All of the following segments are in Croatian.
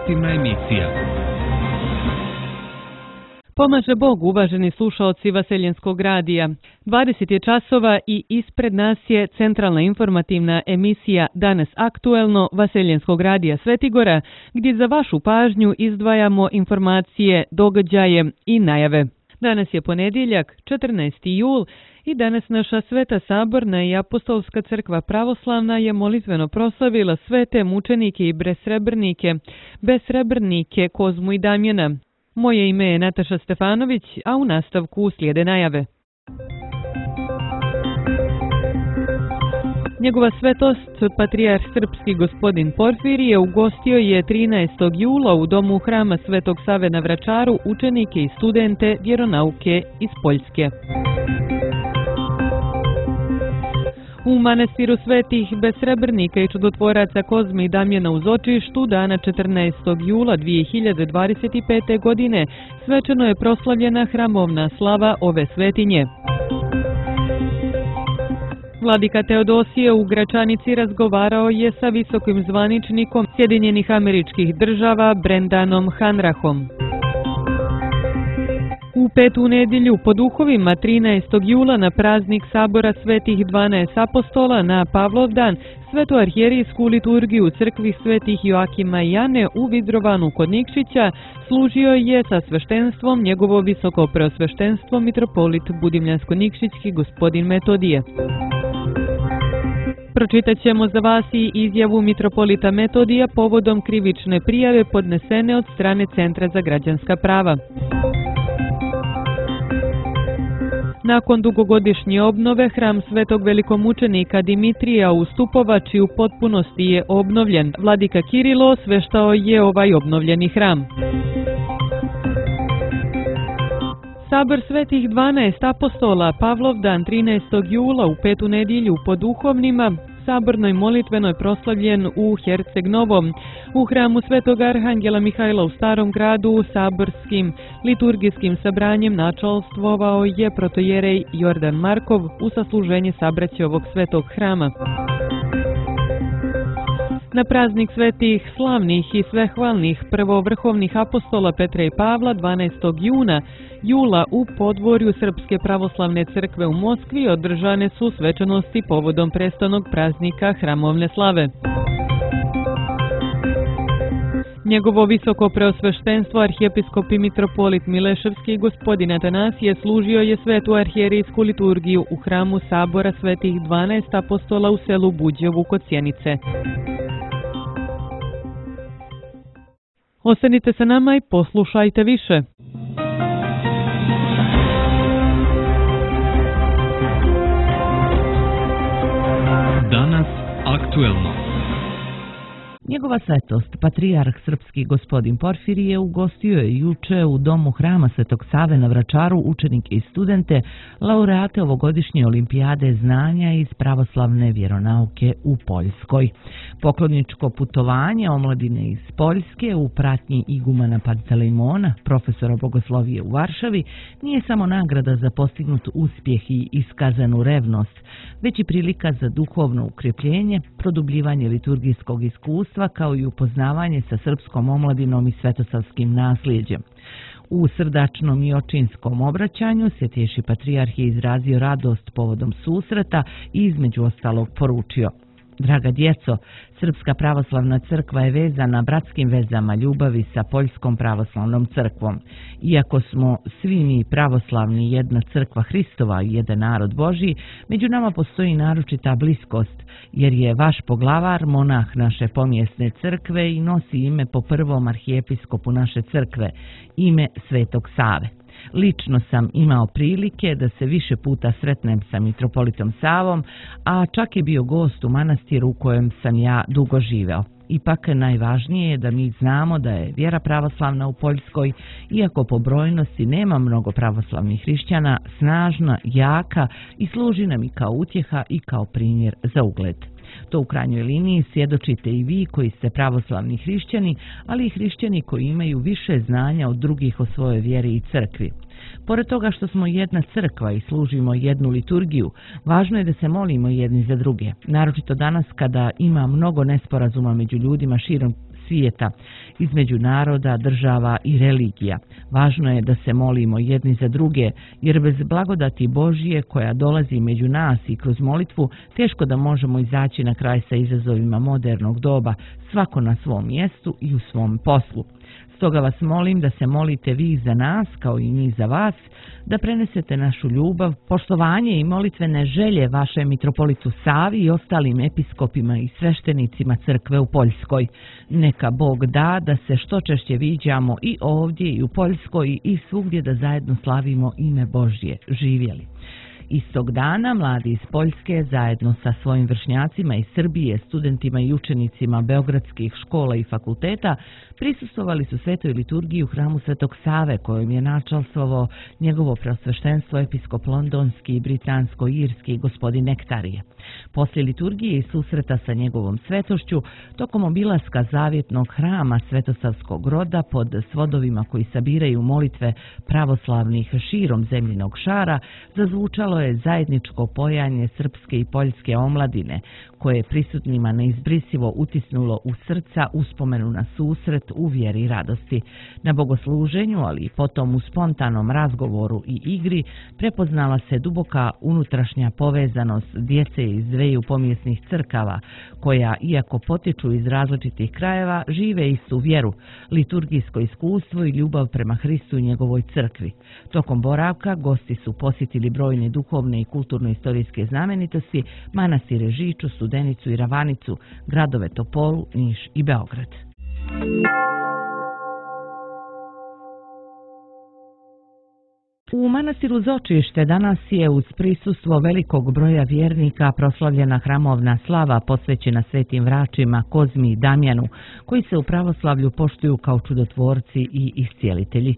informativna emisija. Pomaže Bog, uvaženi slušaoci Vaseljenskog radija. 20 je časova i ispred nas je centralna informativna emisija Danas aktuelno Vaseljenskog radija Svetigora, gdje za vašu pažnju izdvajamo informacije, događaje i najave. Danas je ponedjeljak, 14. jul, i danas naša Sveta Saborna i Apostolska crkva pravoslavna je molitveno proslavila svete mučenike i besrebrnike Kozmu i Damjana. Moje ime je Nataša Stefanović, a u nastavku slijede najave. Njegova svetost, patrijarh srpski gospodin Porfirije, ugostio je 13. jula u domu hrama Svetog Save na Vračaru učenike i studente vjeronauke iz Poljske. U manastiru svetih besrebrnika i čudotvoraca Kozme i Damjana u Zočištu dana 14. jula 2025. godine svečano je proslavljena hramovna slava ove svetinje. Vladika Teodosije u Gračanici razgovarao je sa visokim zvaničnikom Sjedinjenih Američkih Država Brendanom Hanrahom. U petu nedjelju po duhovima 13. jula na praznik Sabora svetih 12 apostola na Pavlovdan svetoarhijerijsku liturgiju crkvi svetih Joakima i Jane u Vidrovanu kod Nikšića služio je sa sveštenstvom njegovo visoko preosveštenstvo mitropolit Budimljansko-Nikšićki gospodin Metodije. Pročitat ćemo za vas i izjavu mitropolita Metodija povodom krivične prijave podnesene od strane Centra za građanska prava. Nakon dugogodišnje obnove, hram svetog velikomučenika Dimitrija u Stupovači u potpunosti je obnovljen. Vladika Kirilo osveštao je ovaj obnovljeni hram. Sabor svetih 12 apostola Pavlovdan 13. jula u petu nedjelju po duhovnima sabornoj molitvenoj proslavljen u Herceg Novom. U hramu Svetog Arhangela Mihajla u Starom gradu saborskim liturgijskim sabranjem načalstvovao je protojerej Jordan Markov u sasluženje sabraće ovog svetog hrama. Na praznik svetih slavnih i svehvalnih prvovrhovnih apostola Petra i Pavla 12. jula u podvorju Srpske pravoslavne crkve u Moskvi održane su svečanosti povodom prestanog praznika hramovne slave. Njegovo visoko preosveštenstvo arhijepiskop i mitropolit Mileševski gospodin Atanasije služio je svetu arhijerijsku liturgiju u hramu Sabora svetih 12 apostola u selu Buđevu kod Sjenice. Ostanite sa nama i poslušajte više. Danas aktuelno. Njegova svetost, patrijarh srpski gospodin Porfirije, ugostio je juče u domu hrama Svetog Save na Vračaru učenike i studente, laureate ovogodišnje olimpijade znanja iz pravoslavne vjeronauke u Poljskoj. Pokloničko putovanje omladine iz Poljske u pratnji igumana Pantelejmona, profesora bogoslovije u Varšavi, nije samo nagrada za postignut uspjeh i iskazanu revnost, već i prilika za duhovno ukrepljenje, produbljivanje liturgijskog iskustva, kao i upoznavanje sa srpskom omladinom i svetosavskim nasljeđem. U srdačnom i očinskom obraćanju Svjetejši patrijarh je izrazio radost povodom susreta i između ostalog poručio: Draga djeco, Srpska pravoslavna crkva je vezana bratskim vezama ljubavi sa Poljskom pravoslavnom crkvom. Iako smo svi mi pravoslavni jedna crkva Hristova i jedan narod Božji, među nama postoji naročita bliskost, jer je vaš poglavar monah naše pomjesne crkve i nosi ime po prvom arhijepiskopu naše crkve, ime Svetog Save. Lično sam imao prilike da se više puta sretnem sa mitropolitom Savom, a čak je bio gost u manastiru u kojem sam ja dugo živeo. Ipak najvažnije je da mi znamo da je vjera pravoslavna u Poljskoj, iako po brojnosti nema mnogo pravoslavnih hrišćana, snažna, jaka i služi nam i kao utjeha i kao primjer za ugled. To u krajnjoj liniji svjedočite i vi koji ste pravoslavni hrišćani, ali i hrišćani koji imaju više znanja od drugih o svojoj vjeri i crkvi. Pored toga što smo jedna crkva i služimo jednu liturgiju, važno je da se molimo jedni za druge. Naročito danas kada ima mnogo nesporazuma među ljudima širom svijeta, između naroda, država i religija. Važno je da se molimo jedni za druge, jer bez blagodati Božje koja dolazi među nas i kroz molitvu, teško da možemo izaći na kraj sa izazovima modernog doba, svako na svom mjestu i u svom poslu. Stoga vas molim da se molite vi za nas, kao i mi za vas, da prenesete našu ljubav, poštovanje i molitvene želje vašem mitropolitu Savi i ostalim episkopima i sveštenicima crkve u Poljskoj. Neka Bog da da se što češće viđamo i ovdje i u Poljskoj i svugdje da zajedno slavimo ime Božje. Živjeli! Istog dana mladi iz Poljske zajedno sa svojim vršnjacima iz Srbije, studentima i učenicima beogradskih škola i fakulteta prisustvovali su svetoj liturgiji u hramu Svetog Save, kojom je načalstvovao njegovo preosveštenstvo episkop londonski i britansko-irski gospodin Nektarije. Poslije liturgije i susreta sa njegovom svetošću, tokom obilaska zavjetnog hrama Svetosavskog roda pod svodovima koji sabiraju molitve pravoslavnih širom zemljinog šara, zazvučalo je zajedničko pojanje srpske i poljske omladine, koje je prisutnima neizbrisivo utisnulo u srca uspomenu na susret u vjeri i radosti. Na bogosluženju, ali i potom u spontanom razgovoru i igri, prepoznala se duboka unutrašnja povezanost djece iz dveju pomjesnih crkava, koja, iako potiču iz različitih krajeva, žive istu vjeru, liturgijsko iskustvo i ljubav prema Hristu i njegovoj crkvi. Tokom boravka gosti su posjetili brojne duhovne i kulturno-istorijske znamenitosti, manastire Žiču, Studenicu i Ravanicu, gradove Topolu, Niš i Beograd. U manastiru Zočište danas je uz prisustvo velikog broja vjernika proslavljena hramovna slava posvećena svetim vračima Kozmi i Damjanu, koji se u pravoslavlju poštuju kao čudotvorci i iscijelitelji.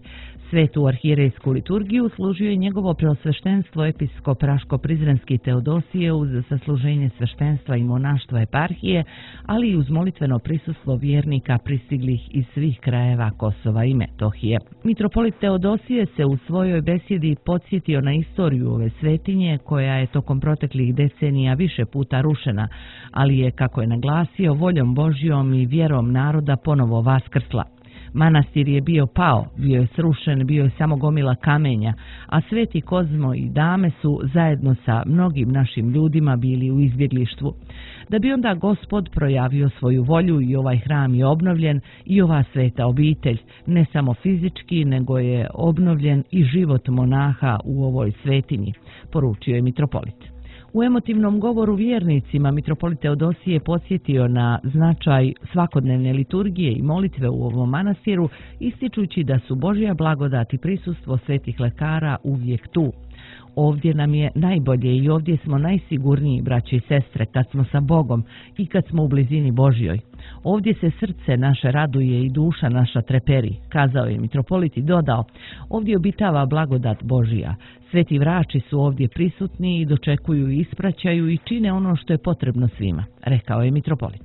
Svetu arhierejsku liturgiju služio je njegovo preosveštenstvo episkop Raško-Prizrenski Teodosije uz sasluženje sveštenstva i monaštva eparhije, ali i uz molitveno prisustvo vjernika pristiglih iz svih krajeva Kosova i Metohije. Mitropolit Teodosije se u svojoj besjedi podsjetio na istoriju ove svetinje, koja je tokom proteklih decenija više puta rušena, ali je, kako je naglasio, voljom Božjom i vjerom naroda ponovo vaskrsla. Manastir je bio pao, bio je srušen, bio je samo gomila kamenja, a sveti Kozmo i Dame su zajedno sa mnogim našim ljudima bili u izbjeglištvu. Da bi onda Gospod projavio svoju volju i ovaj hram je obnovljen i ova sveta obitelj, ne samo fizički, nego je obnovljen i život monaha u ovoj svetinji, poručio je mitropolit. U emotivnom govoru vjernicima mitropolit Teodosije podsjetio na značaj svakodnevne liturgije i molitve u ovom manastiru, ističući da su Božja blagodat i prisustvo svetih lekara uvijek tu. Ovdje nam je najbolje i ovdje smo najsigurniji, braće i sestre, kad smo sa Bogom i kad smo u blizini Božjoj. Ovdje se srce naše raduje i duša naša treperi, kazao je mitropolit i dodao, ovdje obitava blagodat Božja. Sveti vrači su ovdje prisutni i dočekuju i ispraćaju i čine ono što je potrebno svima, rekao je mitropolit.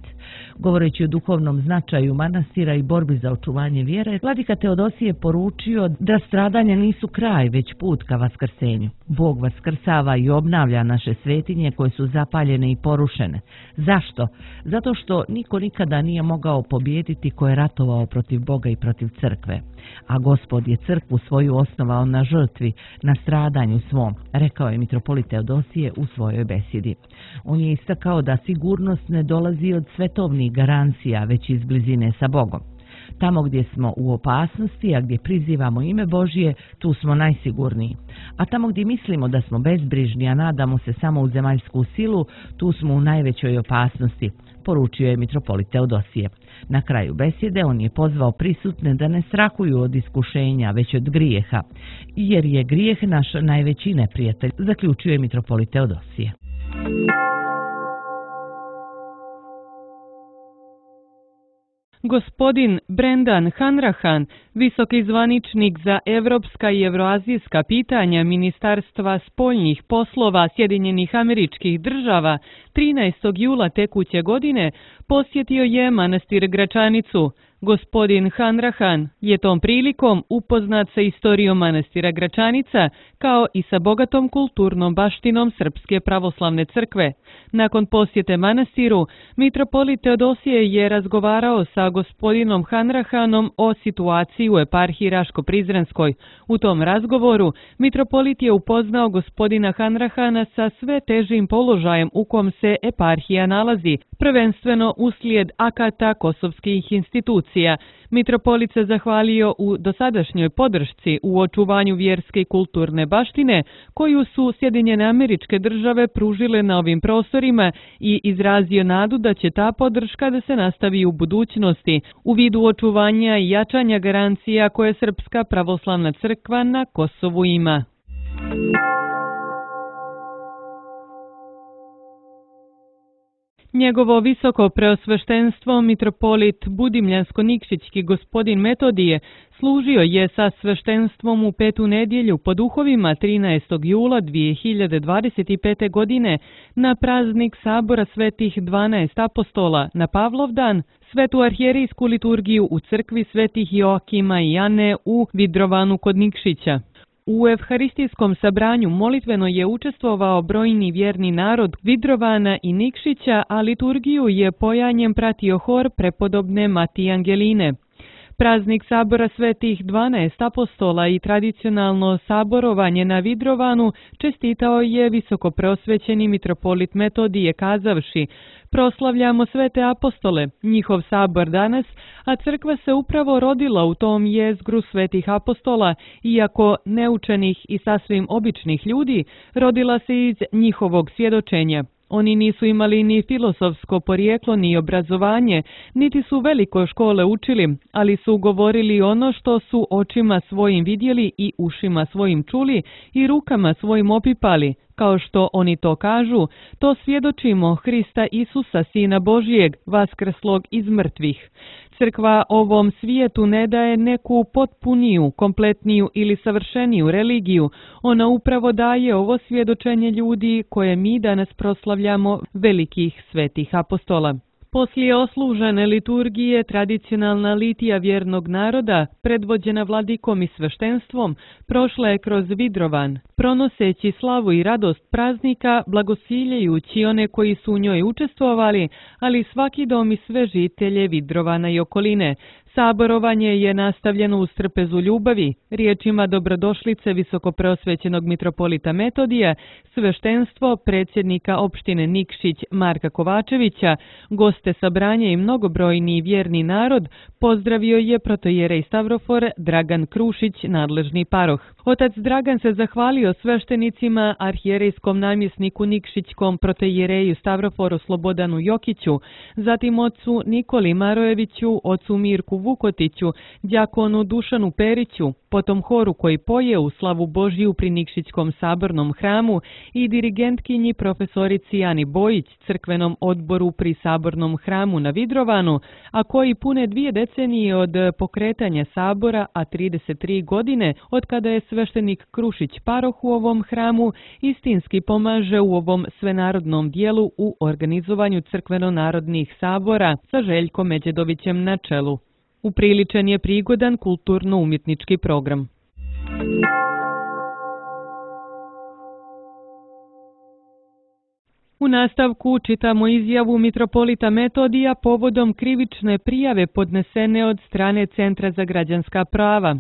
Govoreći o duhovnom značaju manastira i borbi za očuvanje vjere, vladika Teodosije poručio da stradanja nisu kraj, već put ka vaskrsenju. Bog vaskrsava i obnavlja naše svetinje koje su zapaljene i porušene. Zašto? Zato što niko nikada nije mogao pobijediti ko je ratovao protiv Boga i protiv crkve. A Gospod je crkvu svoju osnovao na žrtvi, na stradanju svom, rekao je mitropolit Teodosije u svojoj besjedi. On je istakao da sigurnost ne dolazi od svetovnih garancija, već iz blizine sa Bogom. Tamo gdje smo u opasnosti, a gdje prizivamo ime Božje, tu smo najsigurniji. A tamo gdje mislimo da smo bezbrižni, a nadamo se samo u zemaljsku silu, tu smo u najvećoj opasnosti, poručio je mitropolit Teodosije. Na kraju besjede on je pozvao prisutne da ne strahuju od iskušenja, već od grijeha, jer je grijeh naš najveći neprijatelj, zaključio je mitropolit Teodosije. Gospodin Brendan Hanrahan, visoki zvaničnik za evropska i evroazijska pitanja Ministarstva spoljnih poslova Sjedinjenih Američkih Država, 13. jula tekuće godine posjetio je manastir Gračanicu. Gospodin Hanrahan je tom prilikom upoznat sa istorijom manastira Gračanica kao i sa bogatom kulturnom baštinom Srpske pravoslavne crkve. Nakon posjete manastiru, mitropolit Teodosije je razgovarao sa gospodinom Hanrahanom o situaciji u eparhiji Raško-Prizrenskoj. U tom razgovoru mitropolit je upoznao gospodina Hanrahana sa sve težim položajem u kom se eparhija nalazi, prvenstveno uslijed akata kosovskih institucija. Mitropolit se zahvalio u dosadašnjoj podršci u očuvanju vjerske i kulturne baštine koju su Sjedinjene Američke Države pružile na ovim prostorima i izrazio nadu da će ta podrška da se nastavi u budućnosti u vidu očuvanja i jačanja garancija koje Srpska pravoslavna crkva na Kosovu ima. Njegovo visoko preosveštenstvo mitropolit Budimljansko-Nikšićki gospodin Metodije služio je sa sveštenstvom u petu nedjelju po duhovima 13. jula 2025. godine na praznik Sabora svetih 12 apostola na Pavlovdan, svetu arhijerijsku liturgiju u crkvi svetih Joakima i Ane u Vidrovanu kod Nikšića. U evharistijskom sabranju molitveno je učestvovao brojni vjerni narod Vidrovana i Nikšića, a liturgiju je pojanjem pratio hor prepodobne Matije Angeline. Praznik Sabora svetih 12 apostola i tradicionalno saborovanje na Vidrovanu čestitao je visoko preosvećeni mitropolit Metodije kazavši: proslavljamo svete apostole, njihov sabor danas, a crkva se upravo rodila u tom jezgru svetih apostola, iako neučenih i sasvim običnih ljudi, rodila se iz njihovog svjedočenja. Oni nisu imali ni filozofsko porijeklo ni obrazovanje, niti su veliko škole učili, ali su govorili ono što su očima svojim vidjeli i ušima svojim čuli i rukama svojim opipali. Kao što oni to kažu, to svjedočimo Hrista Isusa, Sina Božijeg, vaskrslog iz mrtvih. Crkva ovom svijetu ne daje neku potpuniju, kompletniju ili savršeniju religiju. Ona upravo daje ovo svjedočenje ljudi koje mi danas proslavljamo, velikih svetih apostola. Poslije oslužene liturgije tradicionalna litija vjernog naroda, predvođena vladikom i sveštenstvom, prošla je kroz Vidrovan, pronoseći slavu i radost praznika, blagosiljajući one koji su u njoj učestvovali, ali svaki dom i sve žitelje Vidrovana i okoline. Saborovanje je nastavljeno uz trpezu ljubavi, riječima dobrodošlice visokopreosvećenog mitropolita Metodija, sveštenstvo predsjednika opštine Nikšić Marka Kovačevića, goste sabranja i mnogobrojni vjerni narod pozdravio je protoijerej Stavrofor Dragan Krušić, nadležni paroh. Otac Dragan se zahvalio sveštenicima, arhijerejskom namjesniku Nikšićkom protoijereju Stavroforu Slobodanu Jokiću, zatim ocu Nikoli Marojeviću, ocu Mirku Vukotiću, đakonu Dušanu Periću, potom horu koji poje u slavu Božiju pri Nikšićkom sabornom hramu i dirigentkinji profesorici Ani Bojić, crkvenom odboru pri sabornom hramu na Vidrovanu, a koji pune 2 decenije od pokretanja sabora, a 33 godine od kada je sveštenik Krušić paroh u ovom hramu, istinski pomaže u ovom svenarodnom dijelu u organizovanju crkveno-narodnih sabora sa Željkom Međedovićem na čelu. Upriličen je prigodan kulturno-umjetnički program. U nastavku čitamo izjavu mitropolita Metodija povodom krivične prijave podnesene od strane Centra za građanska prava.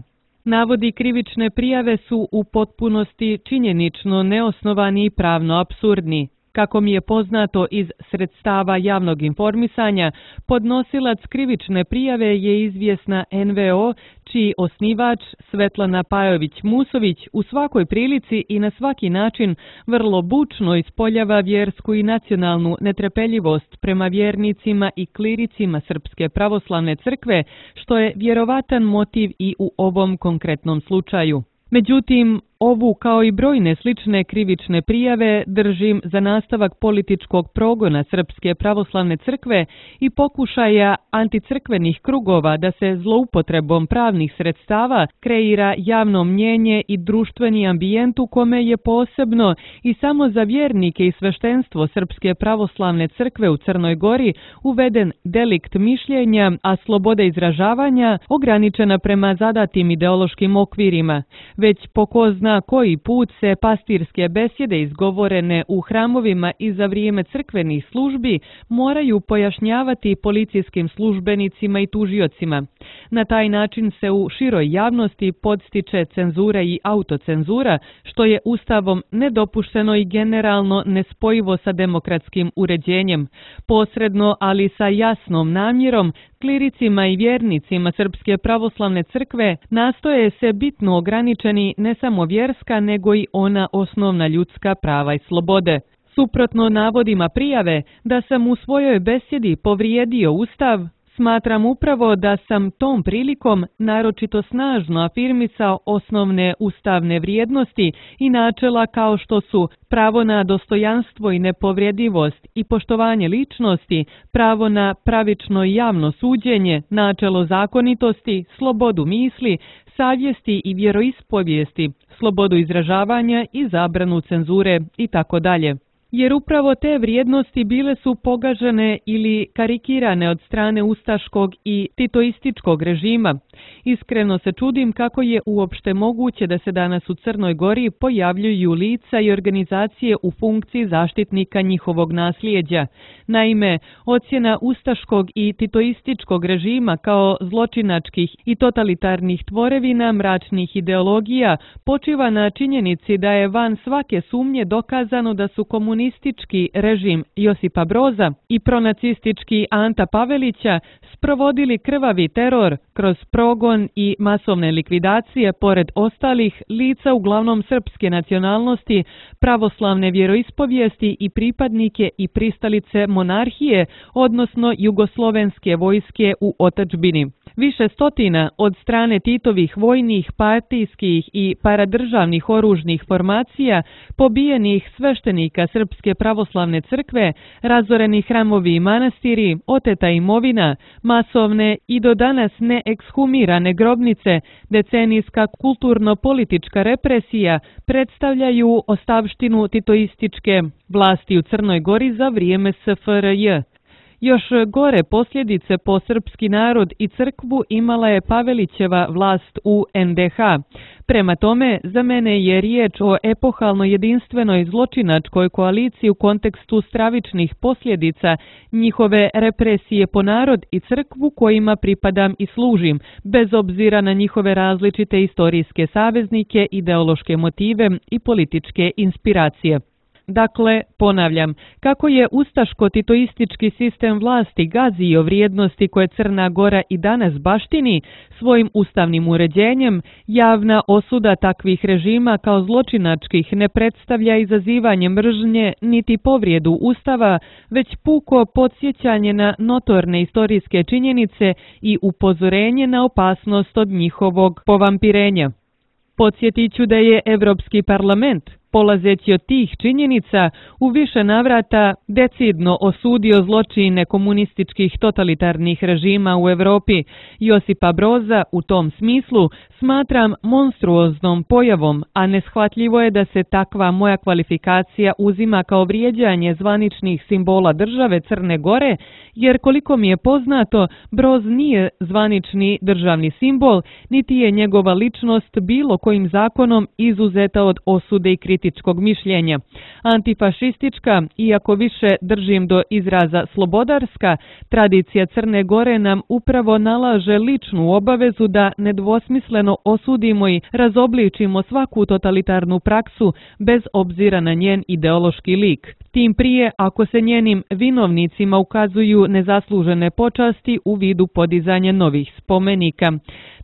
Navodi krivične prijave su u potpunosti činjenično neosnovani i pravno apsurdni. Kako mi je poznato iz sredstava javnog informisanja, podnosilac krivične prijave je izvjesna NVO, čiji osnivač Svetlana Pajović-Musović u svakoj prilici i na svaki način vrlo bučno ispoljava vjersku i nacionalnu netrpeljivost prema vjernicima i kliricima Srpske pravoslavne crkve, što je vjerovatan motiv i u ovom konkretnom slučaju. Međutim, ovu kao i brojne slične krivične prijave držim za nastavak političkog progona Srpske pravoslavne crkve i pokušaja anticrkvenih krugova da se zloupotrebom pravnih sredstava kreira javno mnjenje i društveni ambijent u kome je posebno i samo za vjernike i sveštenstvo Srpske pravoslavne crkve u Crnoj Gori uveden delikt mišljenja, a sloboda izražavanja ograničena prema zadatim ideološkim okvirima. Već po ko zna koji put se pastirske besjede izgovorene u hramovima i za vrijeme crkvenih službi moraju pojašnjavati policijskim službenicima i tužiocima. Na taj način se u široj javnosti podstiče cenzura i autocenzura, što je Ustavom nedopušteno i generalno nespojivo sa demokratskim uređenjem. Posredno, ali sa jasnom namjerom, kliricima i vjernicima Srpske pravoslavne crkve nastoje se bitno ograničeni ne samo vjerska, nego i ona osnovna ljudska prava i slobode. Suprotno navodima prijave da sam u svojoj besjedi povrijedio Ustav, smatram upravo da sam tom prilikom naročito snažno afirmisao osnovne ustavne vrijednosti i načela kao što su pravo na dostojanstvo i nepovredivost i poštovanje ličnosti, pravo na pravično i javno suđenje, načelo zakonitosti, slobodu misli, savjesti i vjeroispovijesti, slobodu izražavanja i zabranu cenzure itd. Jer upravo te vrijednosti bile su pogažene ili karikirane od strane ustaškog i titoističkog režima. Iskreno se čudim kako je uopšte moguće da se danas u Crnoj Gori pojavljuju lica i organizacije u funkciji zaštitnika njihovog nasljeđa. Naime, ocjena ustaškog i titoističkog režima kao zločinačkih i totalitarnih tvorevina mračnih ideologija počiva na činjenici da je van svake sumnje dokazano da su komunistički režim Josipa Broza i pronacistički Anta Pavelića sprovodili krvavi teror kroz progon i masovne likvidacije pored ostalih lica uglavnom srpske nacionalnosti, pravoslavne vjeroispovijesti i pripadnike i pristalice monarhije, odnosno jugoslovenske vojske u otadžbini. Više stotina od strane Titovih vojnih, partijskih i paradržavnih oružnih formacija, pobijenih sveštenika Srpske pravoslavne crkve, razoreni hramovi i manastiri, oteta imovina, masovne i do danas neekshumirane grobnice, decenijska kulturno-politička represija predstavljaju ostavštinu titoističke vlasti u Crnoj Gori za vrijeme SFRJ. Još gore posljedice po srpski narod i crkvu imala je Pavelićeva vlast u NDH. Prema tome, za mene je riječ o epohalno jedinstvenoj zločinačkoj koaliciji u kontekstu stravičnih posljedica njihove represije po narod i crkvu kojima pripadam i služim, bez obzira na njihove različite istorijske saveznike, ideološke motive i političke inspiracije. Dakle, ponavljam, kako je ustaško-titoistički sistem vlasti gazio vrijednosti koje Crna Gora i danas baštini svojim ustavnim uređenjem, javna osuda takvih režima kao zločinačkih ne predstavlja izazivanje mržnje niti povrijedu Ustava, već puko podsjećanje na notorne istorijske činjenice i upozorenje na opasnost od njihovog povampirenja. Podsjetit ću da je Europski parlament, polazeći od tih činjenica, u više navrata decidno osudio zločine komunističkih totalitarnih režima u Europi. Josipa Broza u tom smislu smatram monstruoznom pojavom, a neshvatljivo je da se takva moja kvalifikacija uzima kao vrijeđanje zvaničnih simbola države Crne Gore, jer koliko mi je poznato, Broz nije zvanični državni simbol, niti je njegova ličnost bilo kojim zakonom izuzeta od osude i kritičkog mišljenja. Antifašistička, iako više držim do izraza slobodarska, tradicija Crne Gore nam upravo nalaže ličnu obavezu da nedvosmisleno osudimo i razobličimo svaku totalitarnu praksu bez obzira na njen ideološki lik. Tim prije ako se njenim vinovnicima ukazuju nezaslužene počasti u vidu podizanja novih spomenika.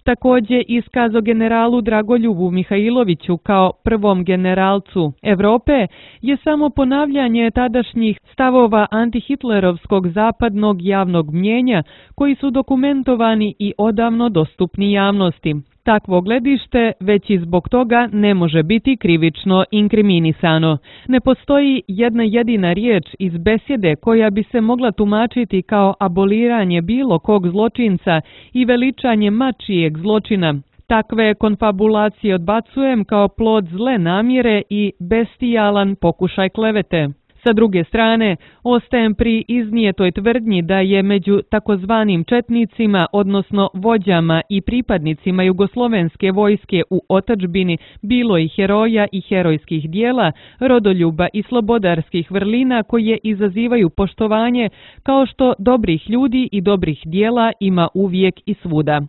Također iskazo generalu Dragoljubu Mihajloviću kao prvom generalcu Europe je samo ponavljanje tadašnjih stavova antihitlerovskog zapadnog javnog mnjenja koji su dokumentovani i odavno dostupni javnosti. Takvo gledište već i zbog toga ne može biti krivično inkriminisano. Ne postoji jedna jedina riječ iz besjede koja bi se mogla tumačiti kao aboliranje bilo kog zločinca i veličanje mačijeg zločina. Takve konfabulacije odbacujem kao plod zle namjere i bestijalan pokušaj klevete. Sa druge strane, ostajem pri iznijetoj tvrdnji da je među takozvanim četnicima, odnosno vođama i pripadnicima jugoslovenske vojske u otadžbini bilo i heroja i herojskih dijela, rodoljuba i slobodarskih vrlina koje izazivaju poštovanje, kao što dobrih ljudi i dobrih dijela ima uvijek i svuda.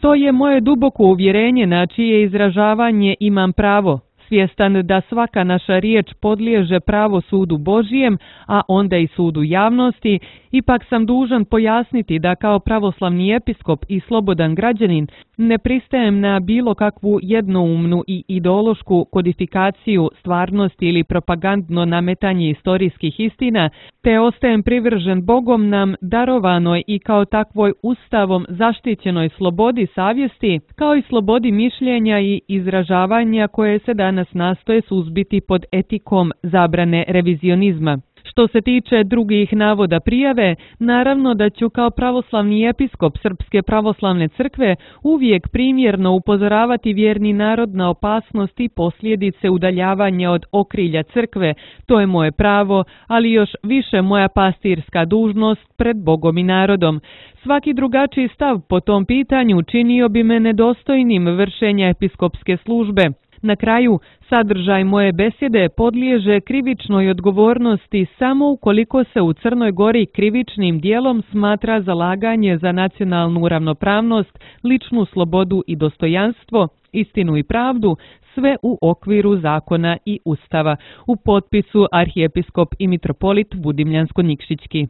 To je moje duboko uvjerenje na čije izražavanje imam pravo, svjestan da svaka naša riječ podliježe pravo sudu Božijem, a onda i sudu javnosti, ipak sam dužan pojasniti da kao pravoslavni episkop i slobodan građanin ne pristajem na bilo kakvu jednoumnu i ideološku kodifikaciju stvarnosti ili propagandno nametanje istorijskih istina, te ostajem privržen Bogom nam darovanoj i kao takvoj ustavom zaštićenoj slobodi savjesti, kao i slobodi mišljenja i izražavanja koje se danas nastoje suzbiti pod etikom zabrane revizionizma. Što se tiče drugih navoda prijave, naravno da ću kao pravoslavni episkop Srpske pravoslavne crkve uvijek primjerno upozoravati vjerni narod na opasnost i posljedice udaljavanja od okrilja crkve. To je moje pravo, ali još više moja pastirska dužnost pred Bogom i narodom. Svaki drugačiji stav po tom pitanju činio bi me nedostojnim vršenja episkopske službe. Na kraju, sadržaj moje besjede podliježe krivičnoj odgovornosti samo ukoliko se u Crnoj Gori krivičnim dijelom smatra zalaganje za nacionalnu ravnopravnost, ličnu slobodu i dostojanstvo, istinu i pravdu, sve u okviru zakona i ustava. U potpisu arhijepiskop i mitropolit Budimljansko-Nikšićki.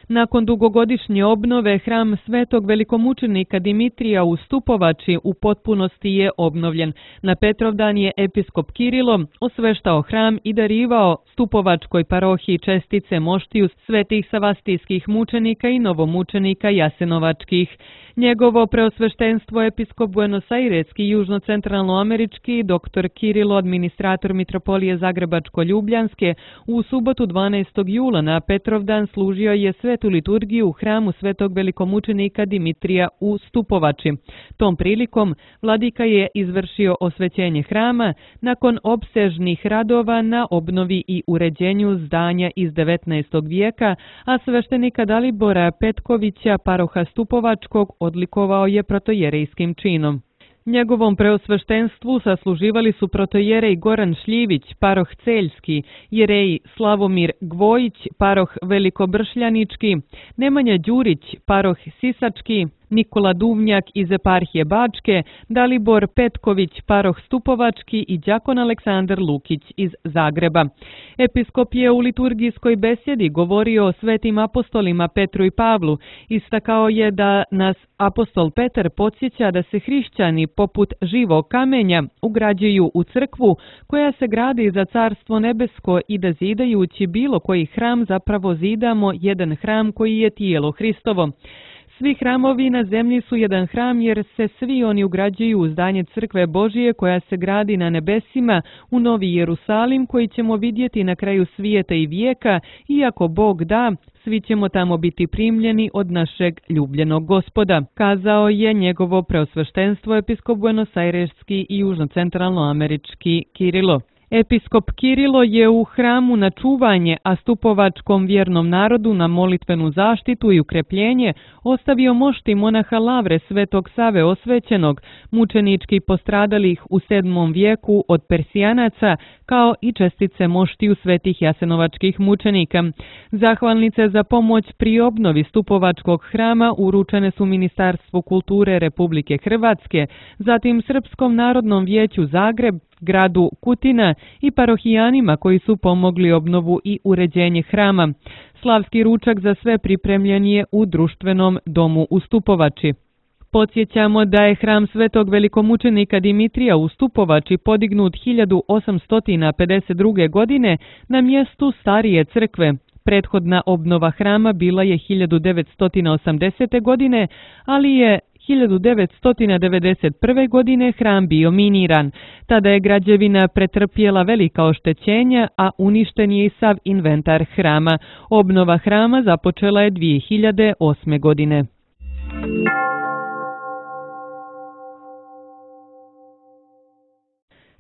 Nakon dugogodišnje obnove, hram svetog velikomučenika Dimitrija u Stupovači u potpunosti je obnovljen. Na Petrovdan je episkop Kirilo osveštao hram i darivao Stupovačkoj parohiji čestice moštiju svetih savastijskih mučenika i novomučenika jasenovačkih. Njegovo preosveštenstvo episkop Buenos-Aireski i južno-centralnoamerički dr. Kirilo, administrator mitropolije Zagrebačko-Ljubljanske, u subotu 12. jula na Petrovdan služio je svetu liturgiju u hramu svetog velikomučenika Dimitrija u Stupovači. Tom prilikom vladika je izvršio osvećenje hrama nakon opsežnih radova na obnovi i uređenju zdanja iz 19. vijeka, a sveštenika Dalibora Petkovića, paroha Stupovačkog, odlikovao je protojerejskim činom. Njegovom preosveštenstvu sasluživali su protojerej Goran Šljivić, paroh Celjski, jereji Slavomir Gvojić, paroh Velikobršljanički, Nemanja Đurić, paroh Sisački, Nikola Duvnjak iz eparhije Bačke, Dalibor Petković, paroh Stupovački i đakon Aleksandar Lukić iz Zagreba. Episkop je u liturgijskoj besjedi govorio o svetim apostolima Petru i Pavlu. Istakao je da nas apostol Petar podsjeća da se hrišćani poput živog kamenja ugrađuju u crkvu koja se gradi za carstvo nebesko i da zidajući bilo koji hram zapravo zidamo jedan hram koji je tijelo Hristovo. Svi hramovi na zemlji su jedan hram jer se svi oni ugrađuju u zdanje crkve Božije koja se gradi na nebesima u Novi Jerusalim koji ćemo vidjeti na kraju svijeta i vijeka i ako Bog da, svi ćemo tamo biti primljeni od našeg ljubljenog Gospoda, kazao je njegovo preosveštenstvo episkop Buenos-Aireski i južno-centralnoamerički Kirilo. Episkop Kirilo je u hramu na čuvanje, a stupovačkom vjernom narodu na molitvenu zaštitu i ukrepljenje ostavio mošti monaha Lavre Svetog Save Osvećenog, mučenički postradalih u 7. vijeku od Persijanaca, kao i čestice moštiju svetih jasenovačkih mučenika. Zahvalnice za pomoć pri obnovi stupovačkog hrama uručene su Ministarstvu kulture Republike Hrvatske, zatim Srpskom narodnom vijeću Zagreb, gradu Kutina i parohijanima koji su pomogli obnovu i uređenje hrama. Slavski ručak za sve pripremljen je u društvenom domu u Stupovači. Podsjećamo da je hram svetog velikomučenika Dimitrija u Stupovači podignut 1852. godine na mjestu starije crkve. Prethodna obnova hrama bila je 1980. godine, ali je 1991. godine hram bio miniran. Tada je građevina pretrpjela velika oštećenja, a uništen je i sav inventar hrama. Obnova hrama započela je 2008. godine.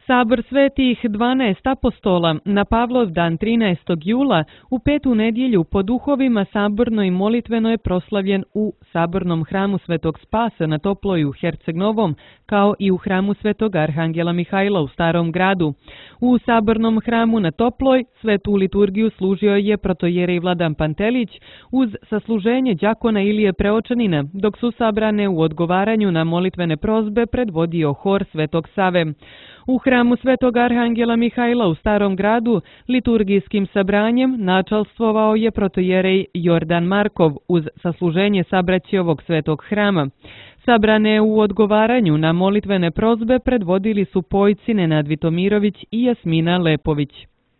Sabor svetih 12 apostola na Pavlov dan 13. jula u petu nedjelju po duhovima saborno i molitveno je proslavljen u sabornom hramu Svetog Spasa na Toploj u Herceg Novom, kao i u hramu Svetog Arhangela Mihajla u Starom gradu. U sabornom hramu na Toploj svetu liturgiju služio je protojerej Vladan Pantelić uz sasluženje đakona Ilije Preočanina, dok su sabrane u odgovaranju na molitvene prozbe predvodio hor Svetog Save. U hramu Svetog Arhangela Mihajla u Starom gradu liturgijskim sabranjem načalstvovao je protojerej Jordan Markov uz sasluženje sabraće ovog svetog hrama. Sabrane u odgovaranju na molitvene prozbe predvodili su pojci Nenad Vitomirović i Jasmina Lepović.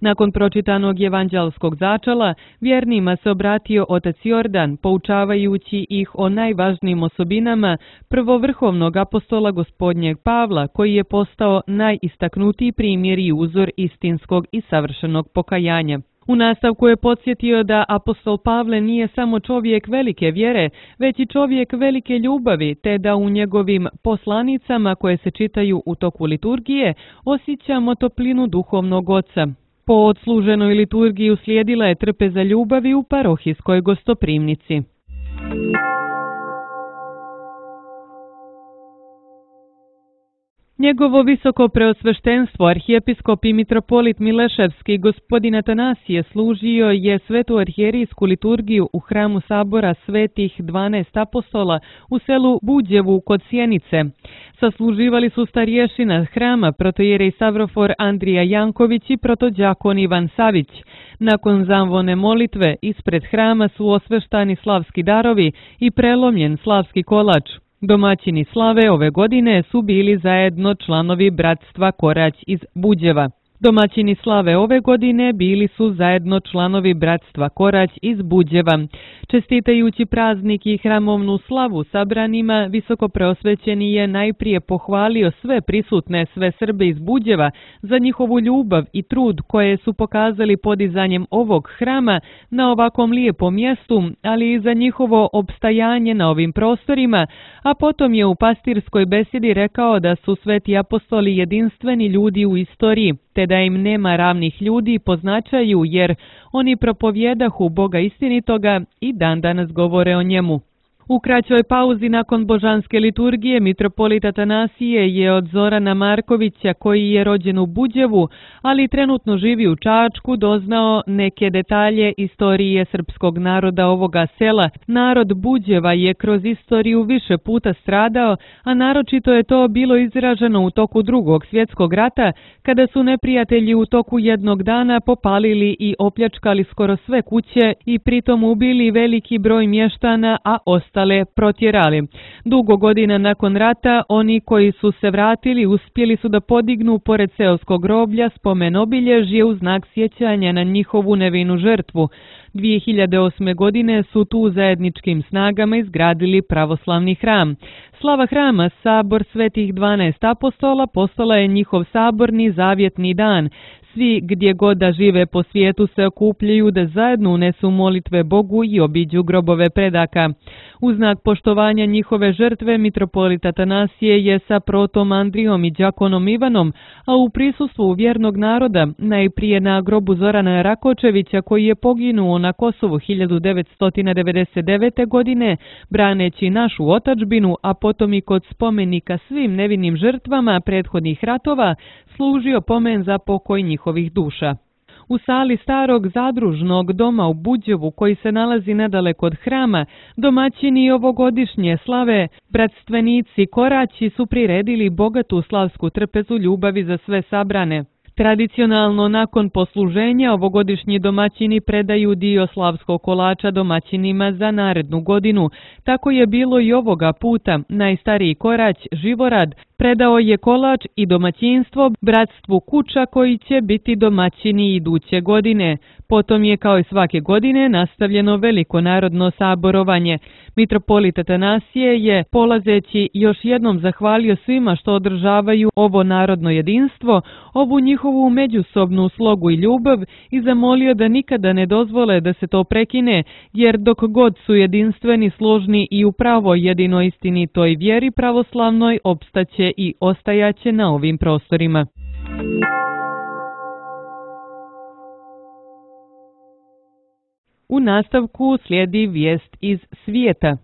Nakon pročitanog evanđelskog začala, vjernima se obratio otac Jordan, poučavajući ih o najvažnijim osobinama prvovrhovnog apostola Gospodnjeg Pavla, koji je postao najistaknutiji primjer i uzor istinskog i savršenog pokajanja. U nastavku je podsjetio da apostol Pavle nije samo čovjek velike vjere, već i čovjek velike ljubavi, te da u njegovim poslanicama koje se čitaju u toku liturgije osjećamo toplinu duhovnog oca. Po odsluženoj liturgiji uslijedila je trpeza ljubavi u parohijskoj gostoprimnici. Njegovo visoko preosveštenstvo, arhijepiskop i mitropolit Mileševski gospodin Atanasije služio je svetu arhijerijsku liturgiju u hramu sabora svetih 12 apostola u selu Buđevu kod Sjenice. Sasluživali su starješina hrama protojerej Savrofor Andrija Janković i protođakon Ivan Savić. Nakon zamvone molitve ispred hrama su osveštani slavski darovi i prelomljen slavski kolač. Domaćini slave ove godine su bili zajedno članovi bratstva Korać iz Buđeva. Domaćini slave ove godine bili su zajedno članovi bratstva Korać iz Buđeva. Čestitajući praznik i hramovnu slavu sabranima, visoko preosvećeni je najprije pohvalio sve prisutne, sve Srbe iz Buđeva za njihovu ljubav i trud koje su pokazali podizanjem ovog hrama na ovakvom lijepom mjestu, ali i za njihovo opstajanje na ovim prostorima, a potom je u pastirskoj besedi rekao da su sveti apostoli jedinstveni ljudi u istoriji, te da im nema ravnih ljudi po značaju, jer oni propovjedahu Boga istinitoga i dan danas govore o njemu. U kraćoj pauzi nakon božanske liturgije mitropolit Atanasije je od Zorana Markovića, koji je rođen u Buđevu, ali trenutno živi u Čačku, doznao neke detalje istorije srpskog naroda ovoga sela. Narod Buđeva je kroz istoriju više puta stradao, a naročito je to bilo izraženo u toku Drugog svjetskog rata, kada su neprijatelji u toku jednog dana popalili i opljačkali skoro sve kuće i pritom ubili veliki broj mještana, a ostale protjerali. Dugo godina nakon rata, oni koji su se vratili uspjeli su da podignu pored seoskog groblja spomen obilježje u znak sjećanja na njihovu nevinu žrtvu. 2008. godine su tu zajedničkim snagama izgradili pravoslavni hram. Slava hrama, sabor svetih 12 apostola, postala je njihov saborni zavjetni dan. Svi gdje god da žive po svijetu se okupljaju da zajedno unesu molitve Bogu i obiđu grobove predaka. U znak poštovanja njihove žrtve mitropolit Atanasije je sa protom Andrijom i đakonom Ivanom, a u prisustvu vjernog naroda, najprije na grobu Zorana Rakočevića koji je poginuo na Kosovu 1999. godine, braneći našu otadžbinu, a potom i kod spomenika svim nevinim žrtvama prethodnih ratova, služio pomen za pokoj njihovih duša. U sali starog zadružnog doma u Buđevu, koji se nalazi nedaleko od hrama, domaćini ovogodišnje slave, bratstvenici Koraći su priredili bogatu slavsku trpezu ljubavi za sve sabrane. Tradicionalno, nakon posluženja, ovogodišnji domaćini predaju dio slavskog kolača domaćinima za narednu godinu. Tako je bilo i ovoga puta. Najstariji korać, Živorad, predao je kolač i domaćinstvo bratstvu Kuča koji će biti domaćini iduće godine. Potom je, kao i svake godine, nastavljeno veliko narodno saborovanje. Mitropolit Atanasije je, polazeći, još jednom zahvalio svima što održavaju ovo narodno jedinstvo, ovu njihovu međusobnu slogu i ljubav i zamolio da nikada ne dozvole da se to prekine, jer dok god su jedinstveni, složni i u pravoj jedinoj istinitoj vjeri pravoslavnoj, opstaće i ostajaće na ovim prostorima. U nastavku slijedi vijest iz svijeta.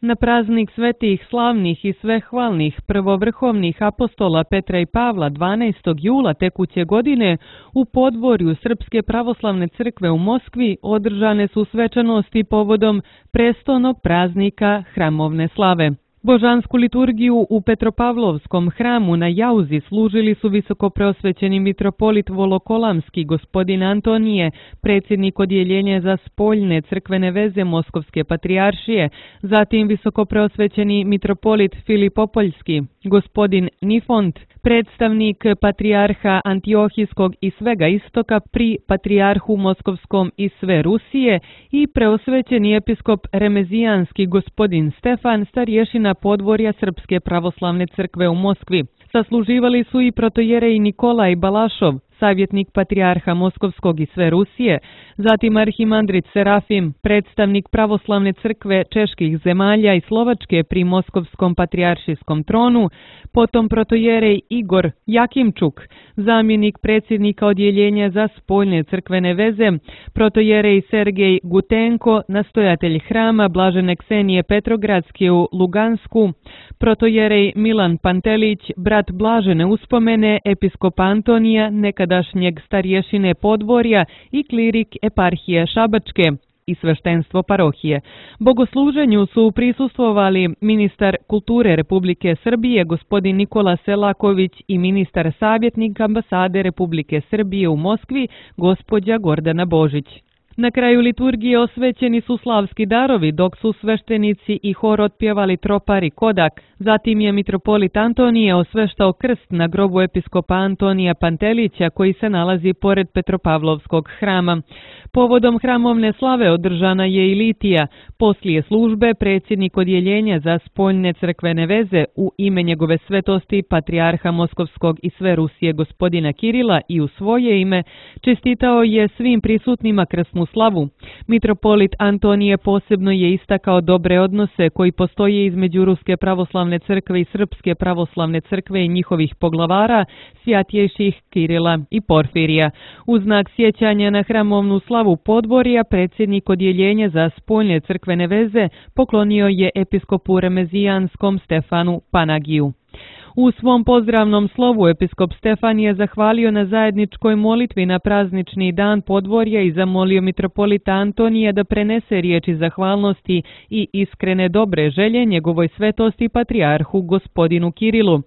Na praznik svetih, slavnih i svehvalnih prvovrhovnih apostola Petra i Pavla 12. jula tekuće godine u podvorju Srpske pravoslavne crkve u Moskvi održane su svečanosti povodom prestolnog praznika hramovne slave. Božansku liturgiju u Petropavlovskom hramu na Jauzi služili su visokopreosvećeni mitropolit Volokolamski gospodin Antonije, predsjednik odjeljenja za spoljne crkvene veze Moskovske patrijaršije, zatim visokopreosvećeni mitropolit Filipopoljski, gospodin Nifont, predstavnik patrijarha Antiohijskog i svega istoka pri patrijarhu Moskovskom i sve Rusije i preosvećeni episkop Remezijanski gospodin Stefan, starješina podvorja Srpske pravoslavne crkve u Moskvi. Sasluživali su i protojerej Nikolaj Balašov, savjetnik patrijarha Moskovskog i sve Rusije, zatim arhimandrit Serafim, predstavnik pravoslavne crkve čeških zemalja i Slovačke pri Moskovskom patrijaršijskom tronu, potom protojerej Igor Jakimčuk, zamjenik predsjednika odjeljenja za spoljne crkvene veze, protojerej Sergej Gutenko, nastojatelj hrama Blažene Ksenije Petrogradske u Lugansku, protojerej Milan Pantelić, brat Blažene uspomene, episkop Antonija, nekadašnjeg starješine podvorja i klirik eparhije Šabačke i sveštenstvo parohije. Bogosluženju su prisustvovali ministar kulture Republike Srbije gospodin Nikola Selaković i ministar savjetnik ambasade Republike Srbije u Moskvi gospođa Gordana Božić. Na kraju liturgije osvećeni su slavski darovi, dok su sveštenici i hor otpjevali tropar i kodak. Zatim je mitropolit Antonije osveštao krst na grobu episkopa Antonija Pantelića koji se nalazi pored Petropavlovskog hrama. Povodom hramovne slave održana je i litija. Poslije službe predsjednik odjeljenja za spoljne crkvene veze u ime njegove svetosti patrijarha Moskovskog i sve Rusije gospodina Kirila i u svoje ime čestitao je svim prisutnima krsnu slavu. Mitropolit Antonije posebno je istakao dobre odnose koji postoje između Ruske pravoslavne crkve i Srpske pravoslavne crkve i njihovih poglavara, svjatjejših Kirila i Porfirija. U znak sjećanja na hramovnu slavu podvorja, predsjednik odjeljenja za spoljne crkvene veze poklonio je episkopu Remezijanskom Stefanu Panagiju. U svom pozdravnom slovu episkop Stefan je zahvalio na zajedničkoj molitvi na praznični dan podvorja i zamolio mitropolita Antonija da prenese riječi zahvalnosti i iskrene dobre želje njegovoj svetosti patrijarhu gospodinu Kirilu.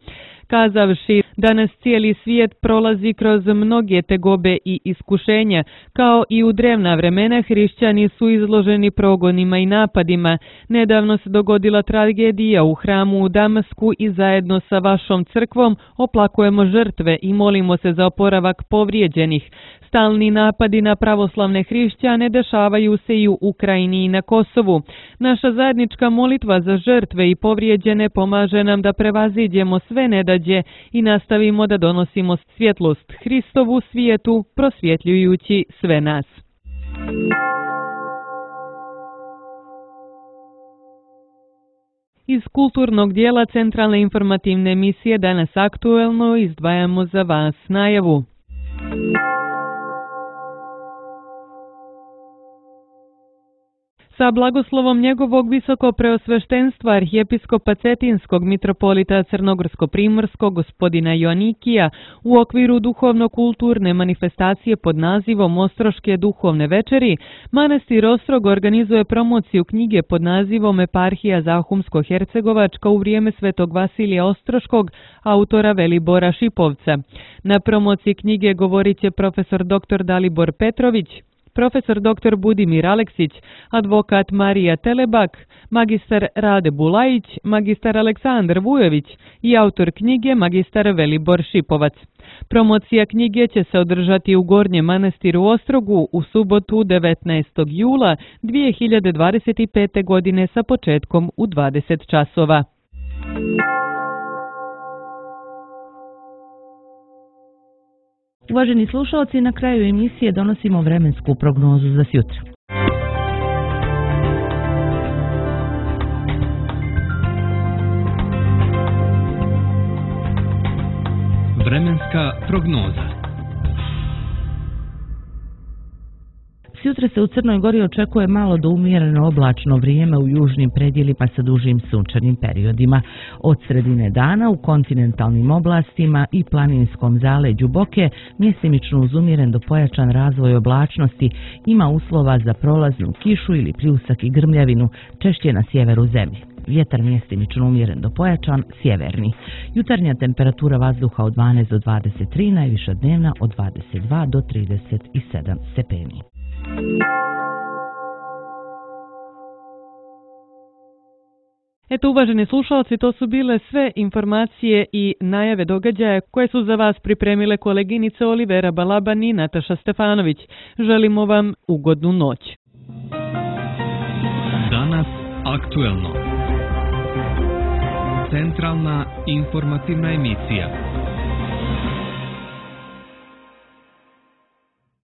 Kazavši da nas cijeli svijet prolazi kroz mnoge tegobe i iskušenja, kao i u drevna vremena hrišćani su izloženi progonima i napadima. Nedavno se dogodila tragedija u hramu u Damasku i zajedno sa vašom crkvom oplakujemo žrtve i molimo se za oporavak povrijeđenih. Stalni napadi na pravoslavne hrišćane dešavaju se i u Ukrajini i na Kosovu. Naša zajednička molitva za žrtve i povrijeđene pomaže nam da prevaziđemo sve nedađe i nastavimo da donosimo svjetlost Hristovu svijetu, prosvjetljujući sve nas. Iz kulturnog dijela centralne informativne emisije Danas aktuelno izdvajamo za vas najavu. Sa blagoslovom njegovog visoko preosveštenstva arhijepiskopa Cetinskog mitropolita Crnogorsko-primorskog gospodina Joanikija u okviru duhovno-kulturne manifestacije pod nazivom Ostroške duhovne večeri, manastir Ostrog organizuje promociju knjige pod nazivom Eparhija Zahumsko-Hercegovačka u vrijeme Svetog Vasilija Ostroškog, autora Velibora Šipovca. Na promociji knjige govorit će profesor dr. Dalibor Petrović, profesor dr. Budimir Aleksić, advokat Marija Telebak, magistar Rade Bulajić, magistar Aleksandar Vujović i autor knjige magistar Velibor Šipovac. Promocija knjige će se održati u Gornjem manastiru Ostrogu u subotu 19. jula 2025. godine sa početkom u 20 časova. Uvaženi slušalci, na kraju emisije donosimo vremensku prognozu za sutra. Vremenska prognoza. Sutra se u Crnoj Gori očekuje malo do umjereno oblačno vrijeme u južnim predjelima sa dužim sunčanim periodima. Od sredine dana u kontinentalnim oblastima i planinskom zaleđu Boke mjesimično uz umjeren do pojačan razvoj oblačnosti ima uslova za prolaznu kišu ili pljusak i grmljavinu, češće na sjeveru zemlje. Vjetar mjestimično umjeren do pojačan, sjeverni. Jutarnja temperatura vazduha od 12 do 23, najviša dnevna od 22 do 37 stepeni. Eto, uvaženi slušalci, to su bile sve informacije i najave događaja koje su za vas pripremile koleginice Olivera Balaban i Nataša Stefanović. Želimo vam ugodnu noć. Danas aktuelno. Centralna informativna emisija.